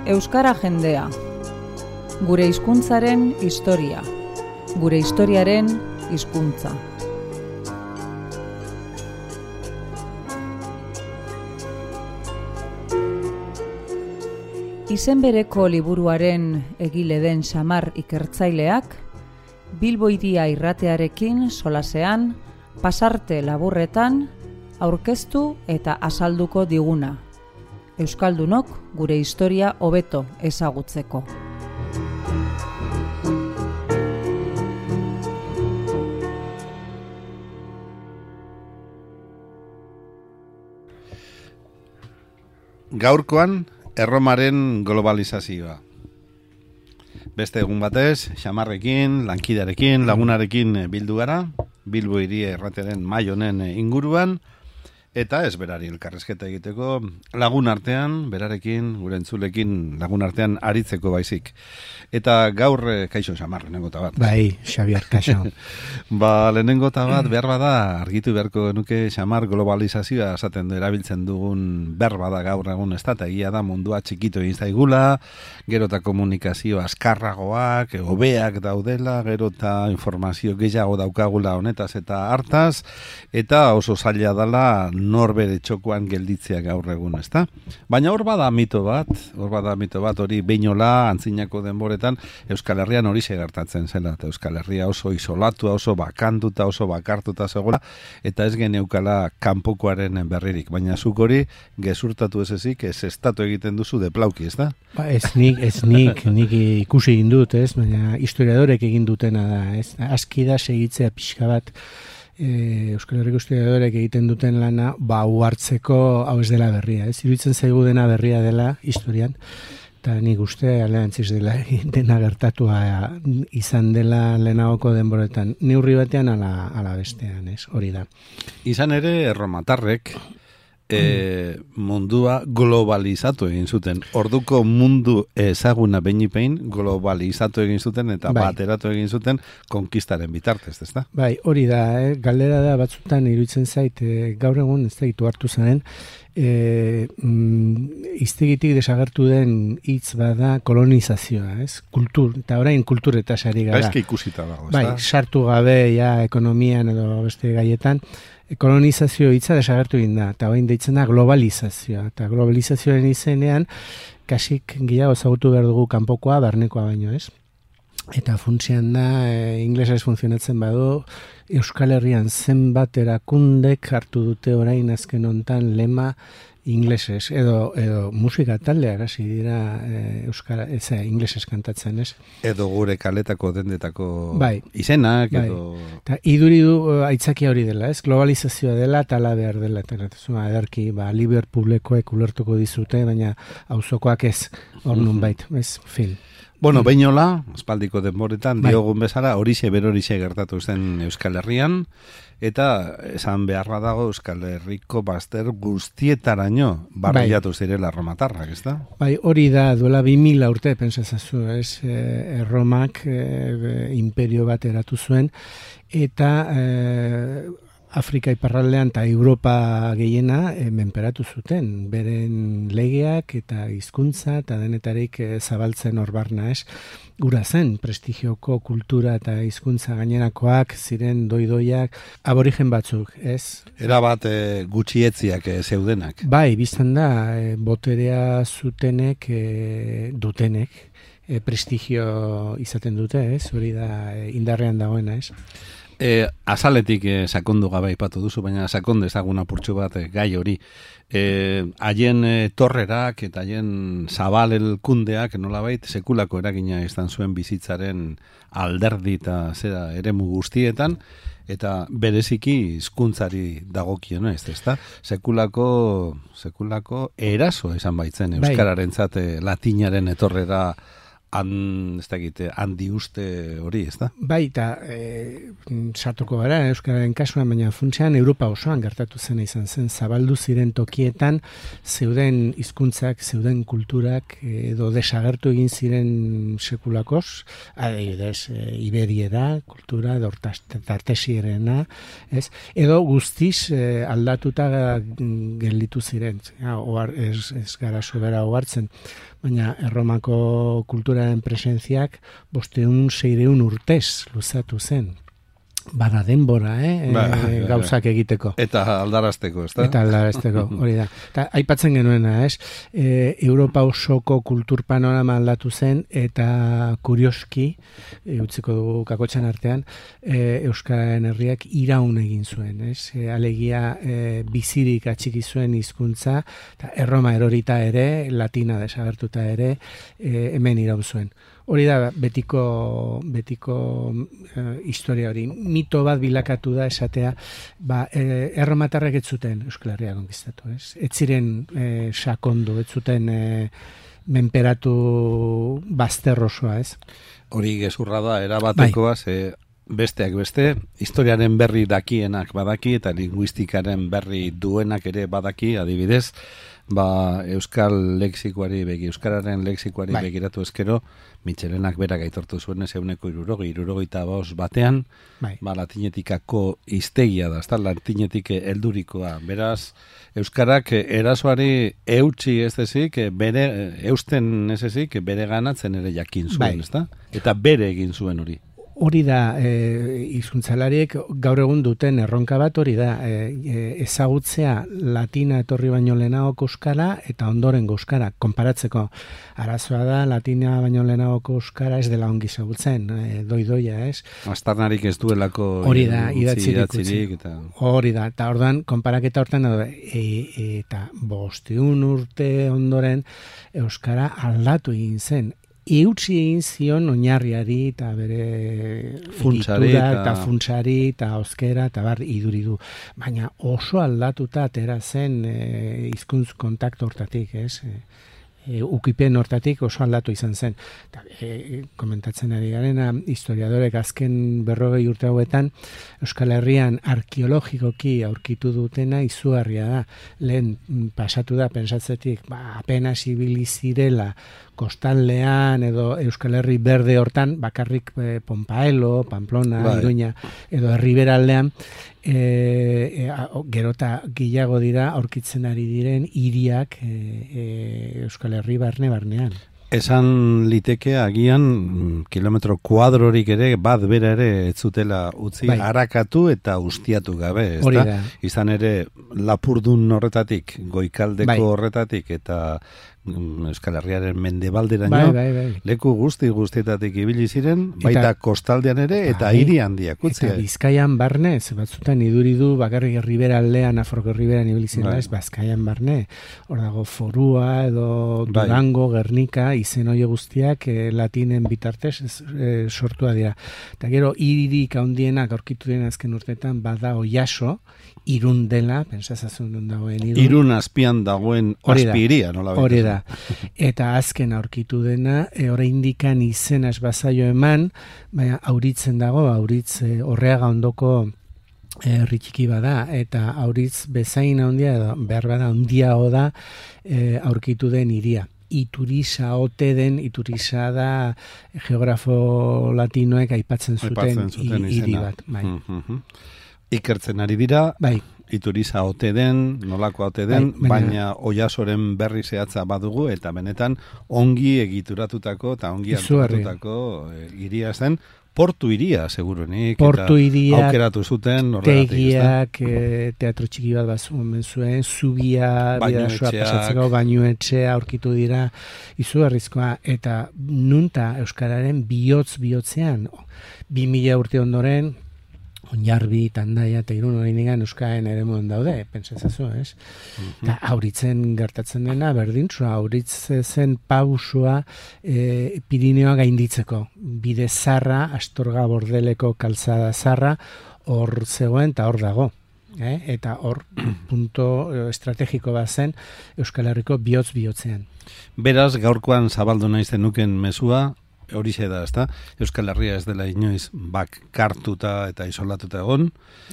Euskara jendea. Gure hizkuntzaren historia. Gure historiaren hizkuntza. Izen bereko liburuaren egile den Xamar ikertzaileak, Bilbo Hiria irratearekin solasean, pasarte laburretan, aurkeztu eta azalduko diguna. Euskaldunok gure historia hobeto ezagutzeko. Gaurkoan, Erromaren globalizazioa. Beste egun batez, Xamarrekin, lankidearekin, lagunarekin bildu gara, Bilbo Hiria irratearen mahai honen inguruan, eta ez berari elkarrezketa egiteko lagun artean, berarekin, gure entzulekin lagun artean aritzeko baizik. Eta gaur, kaixo Xamar, lehenengo bat. Bai, Xabier, kaixo. Lehenengo bat behar bada, argitu beharko nuke Xamar globalizazioa esaten erabiltzen dugun berba da gaur egun ez da, eta egia da mundua txikitu egin zaigula, gero eta komunikazio azkarragoak, hobeak daudela, gero eta informazio gehiago daukagula honetaz eta hartaz, eta oso zaila dela norbere txokoan gelditzea gaur egun, ezta? Baina hor bada mito bat, hori Beinola antzinako denboretan Euskal Herrian hori gertatzen zela, eta Euskal Herria oso isolatua, oso bakantuta, oso bakartuta zegoela, eta ez geneukala kanpokoaren berririk, baina zuk hori gezurtatu ez ezik, ez estatu egiten duzu deplauki, ezta? Ez nik ikusi egin dut, ez? Baina historiadorek egin dutena da, ez? Aski da segitzea pixka bat Euskal Herriko historiadorek egiten duten lana, hartzeko hau ez dela berria, ez? Iruditzen zaigu dena berria dela historian, eta nik uste alderantziz dena gertatua izan dela lehenagoko denboretan. Neurri batean ala bestean, ez? Hori da. Izan ere erromatarrek mundua globalizatu egin zuten. Orduko mundu ezaguna behin globalizatu egin zuten eta bateratu egin zuten konkistaren bitartez, ezta? Bai, hori da, galdera da batzutan iruditzen zait, gaur egun ez da gitu hartu zaren, iztegitik desagertu den hitz bada kolonizazioa, ez? Eta orain kulturetaz ari gara. Baizki ikusita dago, bai, sartu gabe ekonomian edo beste gaietan, kolonizazio hitza desagertu egin da, eta orain deitzen da globalizazioa. Eta globalizazioaren izenean, kasik gehiago ezagutu behar dugu kanpokoa, barnekoa baino, ez? Eta funtsian da, inglesez funtzionatzen badu, Euskal Herrian zenbat erakundek hartu dute orain azken hontan lema inglesez, edo musika taldeak hasi dira inglesez kantatzen, ez? Edo gure kaletako dendetako izenak, edo... Eta iduri du aitzakia hori dela, ez? Globalizazioa dela, tala behar dela, eta ederki, Liverpooleko ulertuko dizute, baina auzokoak ez, hor nun bait, ez, fin. Bueno, Beinola, aspaldiko denboretan, diogun bezala, horixe gertatu zen Euskal Herrian, eta esan beharra dago Euskal Herriko bazter guztietaraino barriatu zirela erromatarrak, ez da? Bai, hori da, duela 2000 urte, pentsazazu, ez? Erromak imperio bat eratu zuen, eta Afrika iparraldean eta Europa gehiena menperatu zuten, beren legeak eta hizkuntza eta denetarik zabaltzen horbarna, ez? Gura zen, prestigioko kultura eta hizkuntza gainerakoak ziren doidoiak aborigen batzuk, ez? Era bat gutxietziak zeudenak. Bai, biztan da, boterea zutenek, dutenek, prestigio izaten dute, ez? Hori da indarrean dagoena, ez? Azaletik sakondu gabe aipatu duzu, baina sakonde ezagun apurtxo bat gai hori. Haien torrerak eta haien zabal elkundeak nolabait sekulako eragina izan zuen bizitzaren alderdi eta eremu guztietan, eta bereziki hizkuntzari dagokiona, ezta? Sekulako eraso izan baitzen euskararentzat latinaren etorrera handi uste hori, ez da? Bai, eta sartuko gara Euskararen kasuan, baina funtsean Europa osoan gertatu zen izan zen, zabaldu ziren tokietan zeuden hizkuntzak, zeuden kulturak edo desagertu egin ziren sekulakos, adibidez, iberiera, kultura, edo tartesierena, ez? Edo guztiz aldatuta gelditu ziren, ez gara sobera ogartzen, baina Erromako kulturaren presentziak 500-600 urtez luzatu zen. Bada denbora, gauzak egiteko. Eta aldarazteko, ez da? Eta aldarazteko, hori da. Eta aipatzen genuena, ez? Europa osoko kultur panorama aldatu zen, eta kurioski, utziko dugu kakotxan artean, Euskararen herriak iraun egin zuen, ez? Alegia bizirik atxiki zuen hizkuntza, eta Erroma erorita ere, latina desagertuta ere, hemen iraun zuen. Hori da betiko historia hori. Mito bat bilakatu da esatea, erromatarrek ez zuten Euskal Herria konkistatu, ez? Ez ziren sakondu, ez zuten menperatu bazterrosoa, ez? Hori gezurra da, erabatekoa, besteak beste, historiaren berri dakienak badaki, eta linguistikaren berri duenak ere badaki, adibidez, Euskararen lexikoari begiratu ezkero, Mitxelenak berak aitortu zuen ez 160 batean, latinetikako hiztegia da, latinetik heldurikoa. Beraz, Euskarak erasoari eutsi ez ezik, eusten ez ezik, bere ganatzen ere jakin zuen, ez da? Eta bere egin zuen hori. Hori da, hizkuntzalariek gaur egun duten erronka bat hori da, ezagutzea latina etorri baino lehenagoko euskara eta ondorengo euskara, konparatzeko. Arazoa da, latina baino lehenagoko euskara ez dela ongi ezagutzen, doidoia, ez? Aztarnarik ez duelako hori da, idatzirik. Hori da, eta orduan, konparaketa hortan, eta 500 urte ondoren euskara aldatu egin zen. Eutsi egin zion oinarriari eta bere funtsari eta funtsari eta oskera eta bar iduridu. Baina oso aldatuta atera zen hizkuntz kontaktu hortatik, ez? Ukipen hortatik oso aldatu izan zen. Komentatzen ari garena, historiadorek azken 40 urte hauetan Euskal Herrian arkeologikoki aurkitu dutena izugarria da. Lehen pasatu da pensatzetik, apenas ibili zirela kostaldean edo Euskal Herri berde hortan, bakarrik Ponpaelo, Pamplona, Iruña, edo Herriberaldean, gerota gehiago dira aurkitzen ari diren hiriak Euskal Herri barnean. Esan liteke agian kilometro kuadrorik ere bat bera ere ez zutela utzi harakatu eta ustiatu gabe, ezta? Izan ere Lapurdun horretatik, Goikaldeko horretatik eta Euskal Herriaren mendebalderaino leku guztietatik ibili ziren, baita kostaldean ere eta hiri handiak utzi. Eta Bizkaian barne, batzutan iduridu bakarrik Herriberaldean, Nafarroko Herriberan ibili ziren, Bizkaian barne, hor dago Forua edo Durango, Gernika, izen hori guztiak latinen bitartez sortua dira. Eta gero, hiririk handienak aurkitu dira azken urteetan, bada Oiaso, Irun dela, pentsazazun non dagoen Irun. Irun azpian dagoen azpiria, nola baita. Hori da. Eta azken aurkitu dena, oraindikan izena esbazaio eman, baina auritzen dago, auritz Orreaga ondoko herritxiki bada, eta auritz bezain handia, edo behar bada handiago da aurkitu den hiria. Iturisa ote den, Iturisa da geografo latinoek aipatzen zuten hiri bat. Ikertzen ari dira, Iturisa ote den, nolakoa ote den, baina Oiasoren berri zehatza badugu, eta benetan ongi egituratutako eta ongi harturatutako hiria zen, portu hiria, seguruenik, portu eta aukeratu zuten, tegiak, teatro txiki bat bazuen zuen, zubia, bidasoa pasatzeko, bainuetxea aurkitu dira, izugarrizkoa, eta nunta Euskararen bihotzean, 2000 urte ondoren, Oinarbi, Tandaia eta Irun oraindikan Euskaren eremuan daude, pentsatzen ez? Eta auritzen gertatzen dena, berdintzua, auritzen pausua Pirineoa gainditzeko. Bide zarra, Astorga Bordeleko kalzada zarra, hor zegoen eta hor dago. eta hor punto estrategiko bat zen Euskal Herriko bihotz-bihotzean. Beraz, gaurkoan zabaldu nahi zenuken mezua, horixe da, ezta? Euskal Herria ez dela inoiz bakartuta eta isolatuta egon.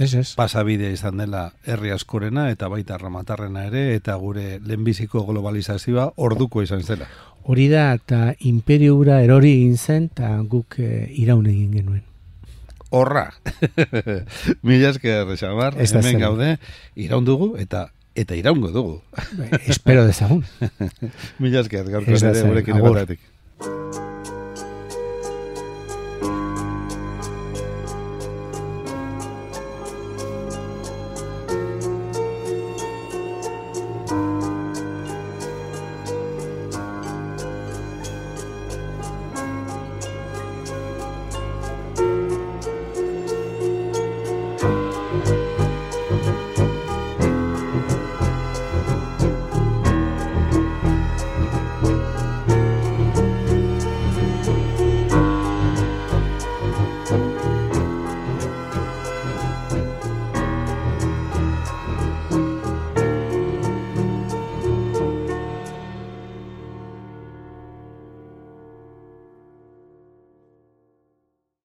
Ez. Pasabidea izan dela herri askorena eta baita ramatarrena ere, eta gure lehenbiziko globalizazioa orduko izan zela. Hori da, eta imperiura erori egin zen, eta guk iraun egin genuen. Horra! Mila esker, Xamar, hemen gaude, iraun dugu eta iraungo dugu. Espero dezagun. Mila esker, gaurko ere gurekin egotatik.